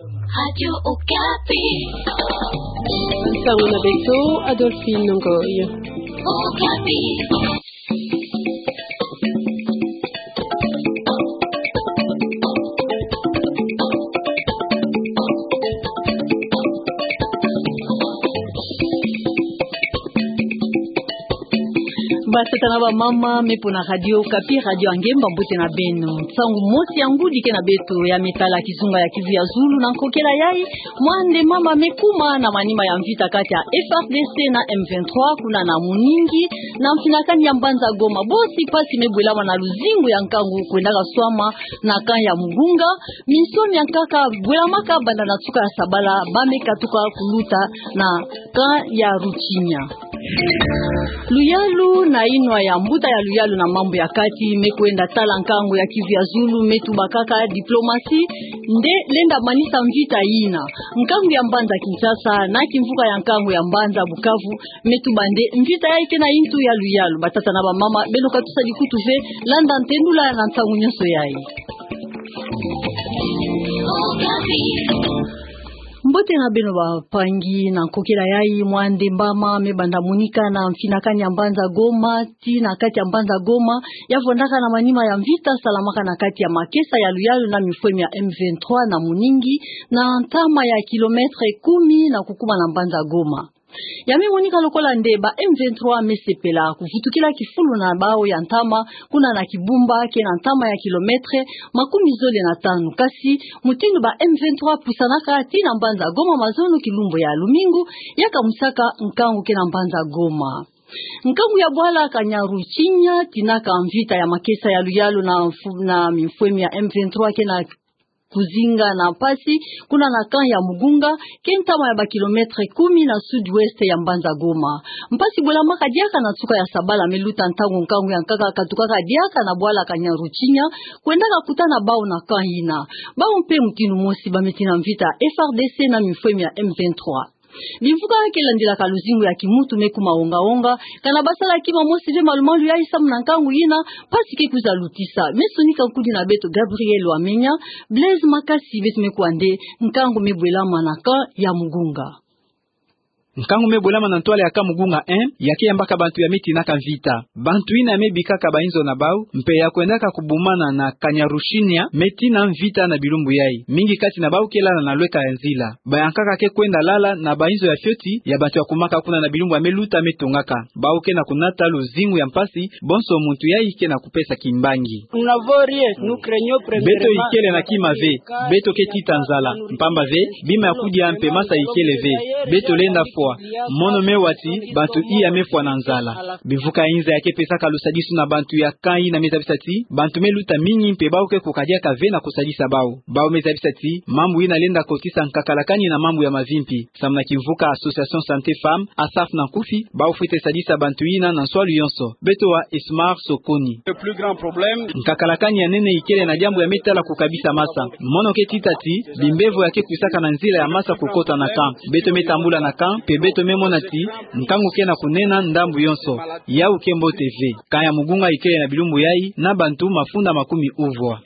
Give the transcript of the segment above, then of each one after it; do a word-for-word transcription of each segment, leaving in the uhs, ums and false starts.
Radio Okapi. Nsangu na beto, Adolphine Ngoy. Okapi. Batata na bamama, me pona Radio Okapi, radio ya ngemba, mbote na beno. Nsangu mosi ya ngudi ke na beto, ya me tala kizunga ya Kivu ya Zulu, na nkokela yayi, mwa nde mama me kuma na manima ya mvita kati ya F R D C na M vingt-trois, kuna na Muningi, na mfinakani ya mbanza Goma. Bosi pasi me bwelama na luzingu ya nkangu kwendaka swama na camp ya Mugunga. Minsoni ya nkaka bwelamaka banda na nsuka ya sabala, ba me katuka kuluta na camp ya Rutshinya. Luyalu na inwa ya mbuta ya luyalu na mambu ya kati me kwenda tala nkangu ya Kivu ya Zulu me tubakaka diplomatie nde lenda manisa mvita yina. Nkangu ya mbanza Kinshasa na kimvuka ya nkangu ya mbanza Bukavu me tuba nde mvita yayi ke na intu ya luyalu. Batata na bamama, beno katusa dikutu ve, landa ntendula na nsangu nyonso yayi. Mbote na beno bampangi, na nkokela yayi, mwa nde mbama me banda monika na mfinakani ya mbanza Goma, tii na kati ya mbanza Goma, ya vwandaka na manima ya mvita salamaka na kati ya makesa ya luyalu na mifwemi ya M vingt-trois na Muningi, na ntama ya kilomètre kumi na kukuma na mbanza Goma. Ya me monika lokola nde ba M vingt-trois me sepela kuvutukila kifulu na bau ya ntama, kuna na kibumba ke na ntama ya kilomètre makumi zole na tanu. Kasi mutindu ba M vingt-trois pusanaka tii na mbanza Goma mazono kilumbu ya lumingu, ya kamusaka nkangu ke na mbanza Goma. Nkangu ya bwala Kanyaruchinya tinaka mvita ya makesa ya luyalu na mfu-, na mifwemi ya M vingt-trois ke na kuzinga na mpasi, kuna na camp ya Mugunga, ke ntama ya ba kilomètre kumi na sud-ouest ya mbanza Goma. Mpasi bwelamaka diaka na nsuka ya sabala me luta ntangu nkangu ya nkaka katukaka diaka na bwala Kanyaruchinya, kwendaka kutana bau na camp yina. Bau mpe mutindu mosi ba me tii na mvita F R D C na mifwemi ya M vingt-trois. Bimvuka ke landilaka luzingu ya kimuntu me kuma onga-onga, kana ba sala kima mosi ve malu-malu yayi samu na nkangu yina, mpasi ke kwiza lutisa. Me sonika nkudi na beto Gabriel Wamenya, Blaise Makasi, beto me kuwa nde nkangu me bwelama na camp ya Mugunga. Nkangu me bwelama na ntwala ya camp Mugunga un, ya ke yambaka bantu ya me tinaka mvita. Bantu yina ya me bikaka bainzo na bau, mpe ya kwendaka kubumana na Kanyaruchinya, me tii na mvita na bilumbu yayi. Mingi kati na bau ke lala na lweka ya nzila. Bayankaka ke kwenda lala na bainzo ya fioti ya bantu ya kumaka kuna na bilumbu ya me luta me tongaka. Bau ke na kunata luzingu ya mpasi, bonso muntu yayi ke na kupesa kimbangi. Beto ikele na kima ve, beto ke tita nzala, mpamba ve, bima ya kudia mpe masa ikele ve. Beto lenda fwa, mono me wa ti bantu iya me fwa na nzala. Bimvuka ya inza ya ke pesaka lusadisu na bantu ya camp yina me zabisa ti bantu me luta mingi mpe bau ke kukadiaka ve na kusadisa bau. Bau me zabisa ti mambu yina lenda kotisa nkakalakani na mambu ya mavimpi. Samu na kimvuka Association Santé Femmes, ASAF na nkufi, bau fwete sadisa bantu yina na nswalu yonso. Beto wa Ismar Sokoni. Nkakalakani ya nene ikele na diambu ya me tala kukabisa masa. Mono ke tita ti bimbevo ya ke kwisaka na nzila ya masa kukota na camp. Beto me tambula na camp, mpe beto me mona ti nkangu ke na kunena ndambu yonso. Yau ke mbote ve. Camp ya Mugunga ikele na bilumbu yayi na bantu mafunda makumi uvwa.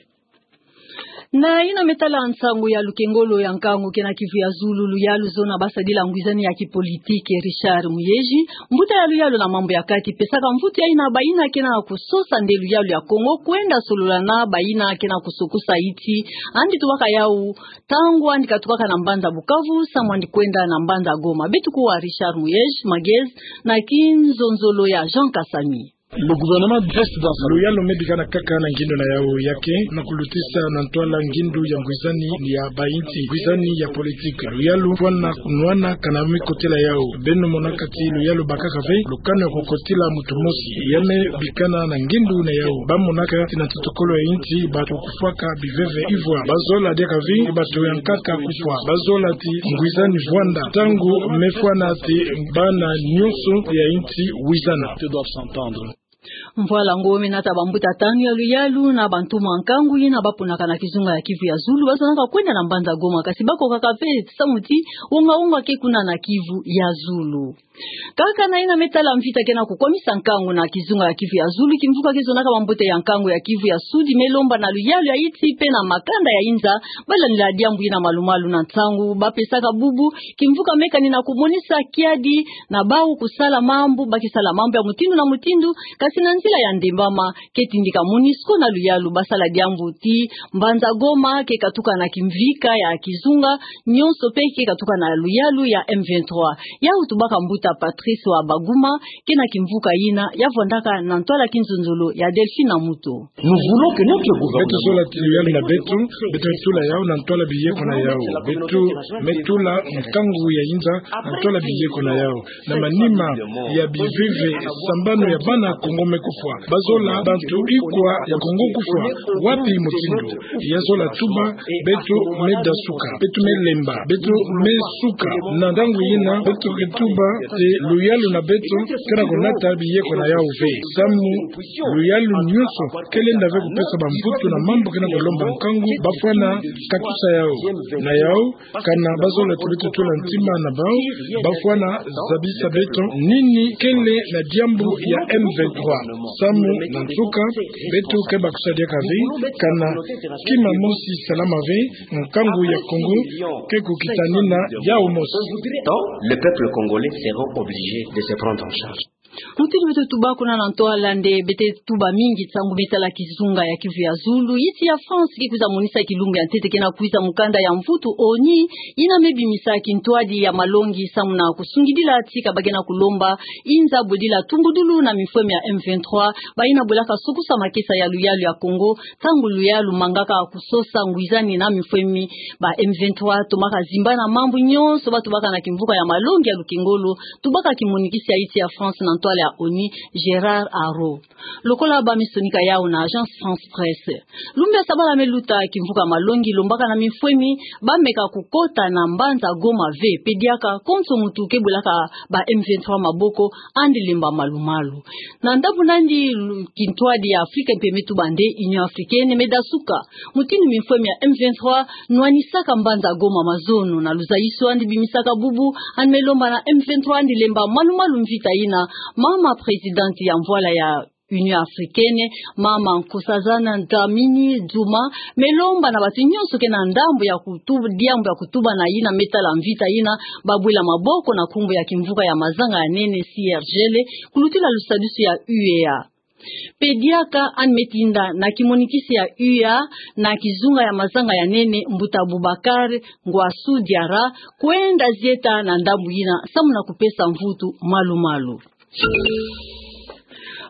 Na yina me tala nsangu ya lukengolo ya nkangu ke na Kivu ya Zulu, luyalu zona ba sadila ngwizani ya kipolitiki Richard Muyej, mbuta ya luyalu na mambu ya kati, pesaka mvutu ya yina bayina ke na kusosa nde luyalu ya Kongo kwenda solola na bayina ke na kusokosa inti, andi tubaka yau, ntangu andi katukaka na mbanza Bukavu samu andi kwenda na mbanza Goma. Beto kuwa Richard Muyej, magezi, na kinzonzolo ya Jean Kasami. Luyalu me bikana kaka na ngindu na yau ya ke na kulutisa na ntwala ngindu ya ngwizani ya bainti, ngwizani ya politiki. Luyalu fwana kunwana kana me kotela yau. Beno monaka ti luyalu bakaka ve lukanu ya kukotila muntu mosi ya me bikana na ngindu na yau. Ba monaka ti na ntotokolo ya inti bantu kufwaka biveve ivwa. Ba zola diaka ve bantu yankaka kufwa. Ba zola ti ngwizani vwanda. Ntangu me fwana ti bana nyonso ya inti wizana. Mvwala ngo me nata bambuta tanu ya luyalu na bantu mwa nkangu yina ba ponaka na kizunga ya Kivu ya Zulu, ba zonaka kwenda na mbanza Goma, kasi ba kokaka ve samu ti wonga-wonga ke kuna na Kivu ya Zulu. Kaka na yina me tala mvita ke na kukwamisa nkangu na kizunga ya Kivu ya Zulu, kimvuka kizonaka mambote ya nkangu ya Kivu ya Sudi me lomba na luyalu ya iti pe na makanda ya inza balandila diambu yina malumalu na ntangu ba pesaka bubu kimvuka me kani na kumonisa kiadi na bawu kusala mambu, ba ke sala mambu ya mutindu na mutindu, kasi na nzila ya ndembama. Ke tindika MONUSCO na luyalu ba sala diambu ti mbanza Goma ke katuka na kimvika ya kizunga, nyonso pe ke katuka na luyalu ya M vingt-trois. Yawu tubaka mbuta Patrice wa Baguma, ke na kimvuka yina ya vwandaka na ntwala kinzonzolo ya Delphine Amuto. Beto zola ti luyalu na beto, beto tula yawu na ntwala biyeko na yawu. Beto me tula nkangu ya inza na ntwala biyeko na yawu. Na manima ya bivivi, sambanu ya bana Kongo me kufwa. Bazola bantu ikwa ya Kongo kufwa. Wapi mutindu? Ya zola tuba, beto me dasuka, beto me lemba, beto me suka. Na ntangu yina, beto ke tuba ti luyalu na beto ke na kunata biyeko na yawu ve. Samu luyalu nyonso ke lenda ve kupesa bamvutu na mambu ke na kulomba nkangu, bafwana katusa yawu. Na yawu, kana bazola ti beto tula ntima na bawu, bafwana zabisa beto nini kele na diambu ya M vingt-trois. Samu na nsuka, beto ke bakusadiaka ve, kana kima mosi salama ve, nkangu ya Kongo ke kukitanina yawu mosi. Donc, le peuple congolais sera obligé de se prendre en charge. Mutindu beto tuba kuna na ntwala nde beto tuba mingi ntangu me tala kizunga ya Kivu ya Zulu, yiti ya France ke kwiza monisa kilumbu ya ntete ke na kwiza mukanda ya mvutu ONU, yina me bimisa kintwadi ya malongi samu na kusungidila tika ba ke na kulomba inza bwedila tumbudulu na mifwemi ya M vingt-trois, bayina bwelaka sukusa makesa ya luyalu ya Kongo, ntangu luyalu mangaka kusosa ngwizani na mifwemi. Ba M vingt-trois tomaka zimbana mambu nyonso ba tubaka na kimvuka ya malongi ya lukengolo, tubaka kimonikisi ya yiti ya France na ntwala ya ONU, Gérard Araud. Lokola ba me sonika yawu na Agence France Presse, lumbu ya sabala me luta kimvuka malongi lombaka na mifwemi ba meka kukota na mbanza Goma ve, pe diaka konso muntu ke bwelaka ba M vingt-trois maboko, yandi lemba malumalu. Na ndambu nandi lu-, kintwadi ya Afrika mpe me tuba nde Union Africaine me dasuka mutindu mifwemi ya M vingt-trois nwanisaka mbanza Goma mazono. Na luzayisi yandi bimisaka bubu, yandi me lomba na M vingt-trois yandi lemba malumalu mvita yina. Mama présidente ya mvwala ya Union Africaine, mama Nkosazana Dlamini-Zuma, me lomba na bantu nyonso ke na ndambu ya kutuba, diambu ya kutuba na yina me tala mvita yina, ba bwela maboko na nkumbu ya kimvuka ya mazanga ya nene, C R G L, kulutila lusadusu ya U E A. Pe diaka yandi me tinda na kimonikisi ya U E A na kizunga ya mazanga ya nene, mbuta Boubacar Ngouassou Diarra, kwenda zieta na ndambu yina samu na kupesa mvutu malumalu.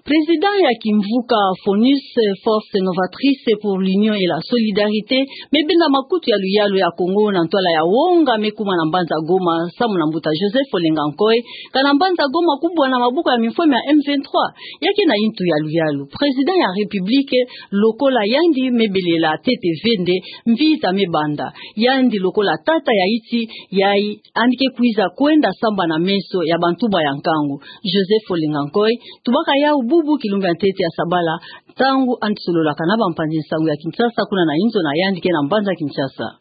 Président ya kimvuka FONUS, Force Novatrice pour l'Union et la Solidarité, me benda makutu ya luyalu ya Kongo na ntwala ya wonga me kuma na mbanza Goma samu na mbuta Joseph Olenga Nkoy, kana mbanza Goma kubwa na maboko ya mifwemi ya M vingt-trois. Ya ke na yintu ya luyalu, Président ya République, lokola yandi me belela ntete ve nde mvita me banda, yandi lokola tata ya yiti, yayi yandi ke kwiza kwenda sambana meso ya bantu ba ya nkangu. Joseph Olenga Nkoy tubaka yawu bubu kilumbu ya ntete ya sabala, ntangu yandi sololaka na bampanzi nsangu ya Kinshasa, kuna na inzo na yandi ke na mbanza Kinshasa.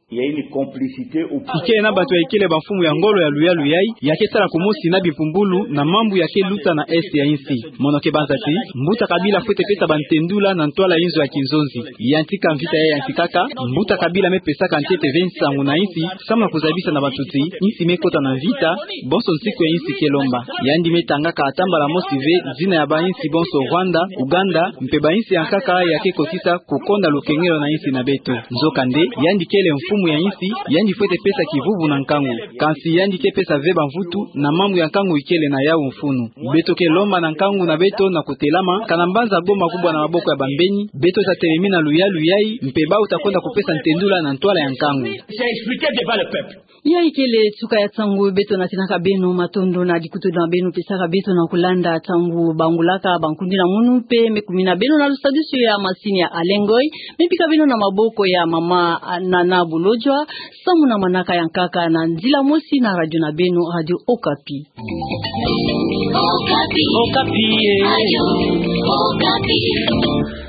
Ikele na bantu ya ikele bamfumu ya ngolo ya luyalu yayi, ya ke sala kumosi na bimpumbulu na mambu ya ke luta na Est ya insi. Mono ke banza ti mbuta Kabila fwete pesa bantendula na ntwala inzo ya kinzonzi. Yantika mvita ya yantikaka, mbuta Kabila me pesaka ntete ve nsangu na insi, samu na kuzabisa na bantu ti insi me kota na mvita, bonso nsiku ya insi ke lomba. Yandi me tangaka ata mbala mosi ve zina ya bainsi bonso Rwanda, Ouganda, mpe bainsi ya nkaka ya ke kotisa kukonda lukengelo na insi na beto. Nzokande, yandi kele mfumu ya insi, yandi fwete pesa kivuvu na nkangu. Kansi yandi ke pesa ve bamvutu na mambu ya nkangu ikele na yawu mfunu. Beto ke lomba na nkangu na beto na kutelama, kana mbanza Goma kubwa na maboko ya bambeni, beto ta telemi na luyalu yayi, mpe bawu ta kwenda kupesa ntendula na ntwala ya nkangu. J'ai expliqué devant le peuple. Yayi kele nsuka ya nsangu beto natinaka beno. Matondo na dikutulu na beno pesaka beto na kulanda. Ntangu bangulaka bankundi na munu mpe me kumina beno na lusadusu ya masini ya Alain Ngoy, me bika beno na maboko ya mama, ah, Nana Bolodjwa, samu na manaka ya nkaka na nzila mosi na radio na beno, Radio Okapi. Okapi. Okapi, eh. Radio Okapi.